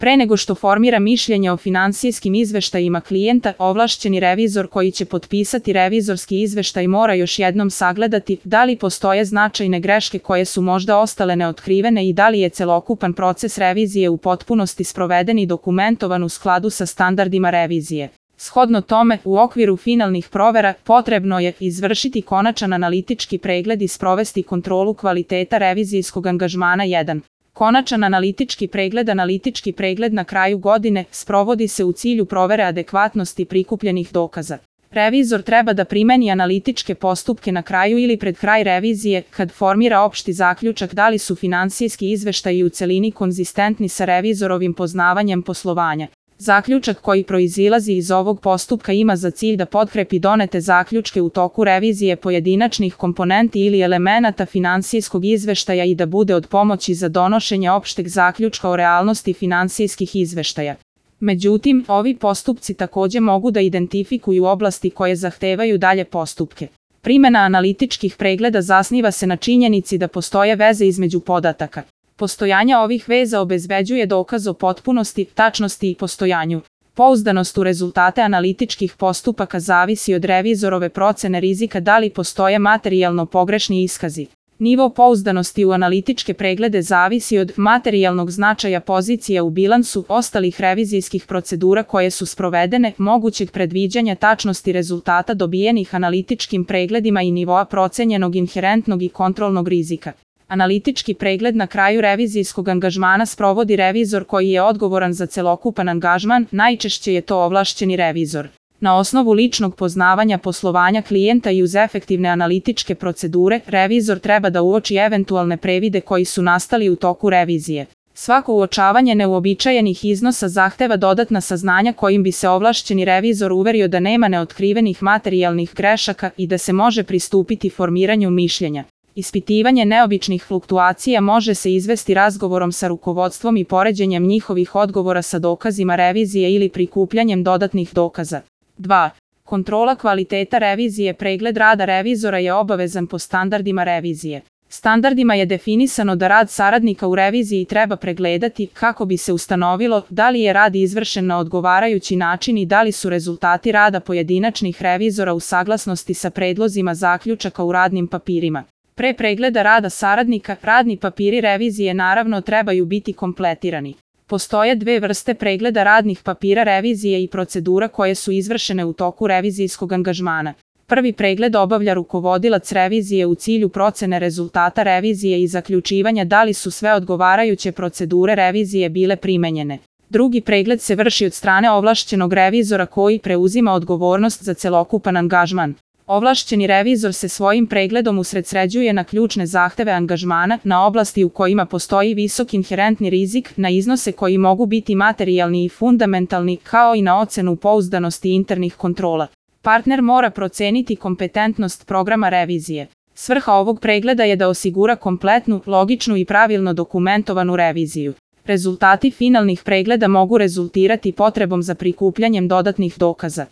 Pre nego što formira mišljenje o finansijskim izveštajima klijenta, ovlašćeni revizor koji će potpisati revizorski izveštaj mora još jednom sagledati da li postoje značajne greške koje su možda ostale neotkrivene i da li je celokupan proces revizije u potpunosti sproveden i dokumentovan u skladu sa standardima revizije. Shodno tome, u okviru finalnih provera potrebno je izvršiti konačan analitički pregled i sprovesti kontrolu kvaliteta revizijskog angažmana 1. Konačan analitički pregled na kraju godine sprovodi se u cilju provere adekvatnosti prikupljenih dokaza. Revizor treba da primeni analitičke postupke na kraju ili pred kraj revizije kad formira opšti zaključak da li su finansijski izveštaji u celini konzistentni sa revizorovim poznavanjem poslovanja. Zaključak koji proizilazi iz ovog postupka ima za cilj da potkrepi donete zaključke u toku revizije pojedinačnih komponenti ili elemenata finansijskog izveštaja i da bude od pomoći za donošenje opšteg zaključka o realnosti finansijskih izveštaja. Međutim, ovi postupci takođe mogu da identifikuju oblasti koje zahtevaju dalje postupke. Primena analitičkih pregleda zasniva se na činjenici da postoje veze između podataka. Postojanje ovih veza obezbeđuje dokaz o potpunosti, tačnosti i postojanju. Pouzdanost u rezultate analitičkih postupaka zavisi od revizorove procene rizika da li postoje materijalno pogrešni iskazi. Nivo pouzdanosti u analitičke preglede zavisi od materijalnog značaja pozicija u bilansu, ostalih revizijskih procedura koje su sprovedene, mogućeg predviđanja tačnosti rezultata dobijenih analitičkim pregledima i nivoa procenjenog inherentnog i kontrolnog rizika. Analitički pregled na kraju revizijskog angažmana sprovodi revizor koji je odgovoran za celokupan angažman, najčešće je to ovlašćeni revizor. Na osnovu ličnog poznavanja poslovanja klijenta i uz efektivne analitičke procedure, revizor treba da uoči eventualne previde koji su nastali u toku revizije. Svako uočavanje neuobičajenih iznosa zahteva dodatna saznanja kojim bi se ovlašćeni revizor uverio da nema neotkrivenih materijalnih grešaka i da se može pristupiti formiranju mišljenja. Ispitivanje neobičnih fluktuacija može se izvesti razgovorom sa rukovodstvom i poređenjem njihovih odgovora sa dokazima revizije ili prikupljanjem dodatnih dokaza. 2. Kontrola kvaliteta revizije. Pregled rada revizora je obavezan po standardima revizije. Standardima je definisano da rad saradnika u reviziji treba pregledati kako bi se ustanovilo da li je rad izvršen na odgovarajući način i da li su rezultati rada pojedinačnih revizora u saglasnosti sa predlozima zaključaka u radnim papirima. Pre pregleda rada saradnika, radni papiri revizije naravno trebaju biti kompletirani. Postoje dve vrste pregleda radnih papira revizije i procedura koje su izvršene u toku revizijskog angažmana. Prvi pregled obavlja rukovodilac revizije u cilju procene rezultata revizije i zaključivanja da li su sve odgovarajuće procedure revizije bile primenjene. Drugi pregled se vrši od strane ovlašćenog revizora koji preuzima odgovornost za celokupan angažman. Ovlašćeni revizor se svojim pregledom usredsređuje na ključne zahteve angažmana, na oblasti u kojima postoji visok inherentni rizik, na iznose koji mogu biti materijalni i fundamentalni, kao i na ocenu pouzdanosti internih kontrola. Partner mora proceniti kompetentnost programa revizije. Svrha ovog pregleda je da osigura kompletnu, logičnu i pravilno dokumentovanu reviziju. Rezultati finalnih pregleda mogu rezultirati potrebom za prikupljanjem dodatnih dokaza.